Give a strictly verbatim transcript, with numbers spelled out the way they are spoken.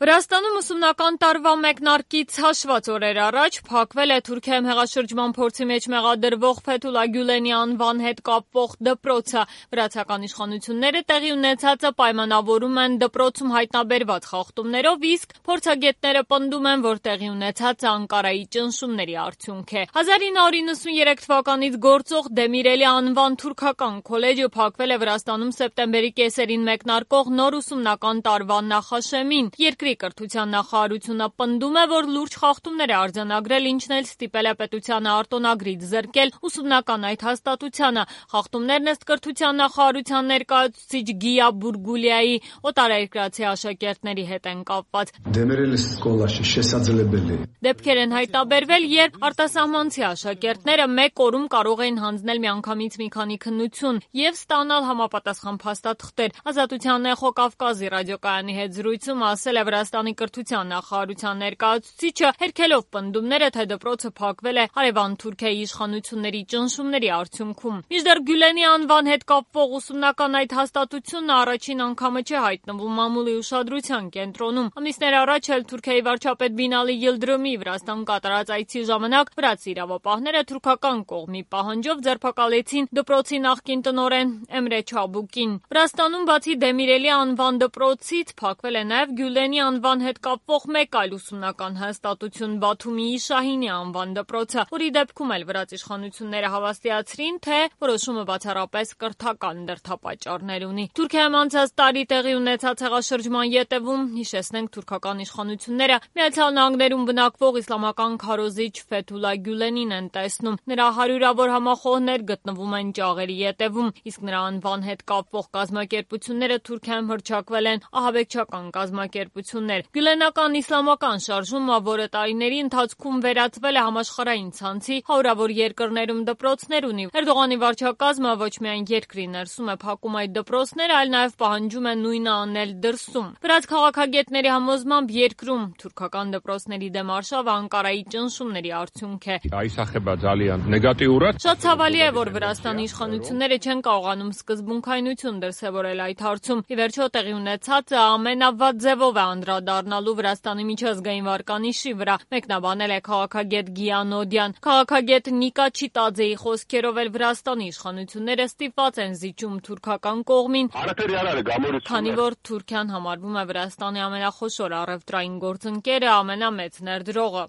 Վրաստանում ուսումնական տարվա մեկնարկից հաշված օրեր առաջ փակվել է Թուրքիայում հեղաշրջման փորձի մեջ մեղադրվող Ֆեթուլա Գյուլենի անվան հետ կապվող դպրոցը։ Վրացական իշխանությունները տեղի ունեցածը պայմանավորում են դպրոցում հայտնաբերված խախտումներով, իսկ փորձագետները պնդում են, որ տեղի ունեցածը Անկարայի ճնշումների արդյունք է։ հազար ինը հարյուր նվաթ թվականից գործող Դեմիրելի անվան թուրքական քոլեջը փակվել է Վրաստանում սեպտեմբերի կեսերին մեկնարկող նոր ուսումնական տարվա նախաշեմին։ Երկրի կրթության նախարարությունը պնդում է, որ լուրջ խախտումներ է արձանագրել, ինչն էլ ստիպել է պետությանը արտոնագրից զրկել ուսումնական այդ հաստատությանը։ Խախտումներն ըստ կրթության նախարարության ներկայացուցիչ Գիա Բուրգուլիայի օտարերկրացի աշակերտների հետ են կապված։ Դեպքեր են հայտնաբերվել, երբ արտասահմանցի աշակերտները մեկ օրում կարող էին հանձնել միանգամից մի քանի քննություն և ստանալ համապատասխան փաստաթղթեր։ Ազատության էխո Կավկազի ռադիոկայանի հետ զրույցում ասել է Վրաստանի կրթության նախարարության ներկայացուցիչը, հերքելով պնդումները, թե դպրոցը փակվել է հարևան Թուրքիայի իշխանությունների ճնշումների արդյունքում։ Մինչդեռ Գյուլենի անվան հետ կապվող ուսումնական այդ հաստատությունն առաջին անգամը չէ հայտնվում մամուլի ուշադրության կենտրոնում։ Ամիսներ առաջ էլ Թուրքիայի վարչապետ Բինալի Յիլդրիմի Վրաստան կատարած այցի ժամանակ վրացի իրավապահները թուրքական կողմի պահանջով ձերբակալեցին դպրոցի նախկին տնօրեն Էմրե Չաբուկին։ Վրաստանում բացի Դեմիրելի անվան դպրոցից փակվել է նաև Գյուլենի անվան հետ կապվող մեկ այլ ուսումնական հաստատություն՝ Բաթումիի Շահինի անվան դպրոցը, որի դեպքում էլ վրաց իշխանությունները հավաստիացրին, թե որոշումը բացառապես կրթական դրդապատճառներ ունի։ Թուրքիայում անցած տարի տեղի ունեցած հեղաշրջման ետևում, հիշեցնենք, թուրքական իշխանությունները Միացյալ Նահանգներում բնակվող իսլամական քարոզիչ Ֆեթուլա Գյուլենին են տեսնում։ Նրա հարյուրավոր համախոհներ գտնվում են ճաղերի ետևում, իսկ նրա անվան հետ կապվող կազմակերպությունները Թուրքիայում հռչակվել են ահաբեկչական կազմակերպություններ։ Գյուլենական իսլամական շարժումը, որը տարիների ընթացքում վերածվել է համաշխարհային ցանցի, հարյուրավոր երկրներում դպրոցներ ունի։ Էրդողանի վարչակազմը ոչ միայն երկրի ներսում է փակում այդ դպրոցները, այլ նաև պահանջում է նույնը անել դրսում։ Վրաց քաղաքագետների համոզմամբ երկրում թուրքական դպրոցների դեմ արշավը Անկարայի ճնշումների արդյունք է։ Շատ ցավալի է, որ Վրաստանի իշխանությունները չեն կարողանում սկզբունքայնություն դրսևորել այդ հարցում։ Ի վերջո տեղի ունեցածը ամենավատ ձևով է անդրադառնալու Վրաստանի միջազգային վարկանիշի վրա, մեկնաբանել է քաղաքագետ Գիանոդյան։ Քաղաքագետ Նիկա Չիտաձեի խոսքերով էլ Վրաստանի իշխանությունները ստիպված են զիջում թուրքական կողմին, քանի որ Թուրքիան համարվում է Վրաստանի ամենախոշոր առևտրային գործընկերը, ամենամեծ ներդրողը։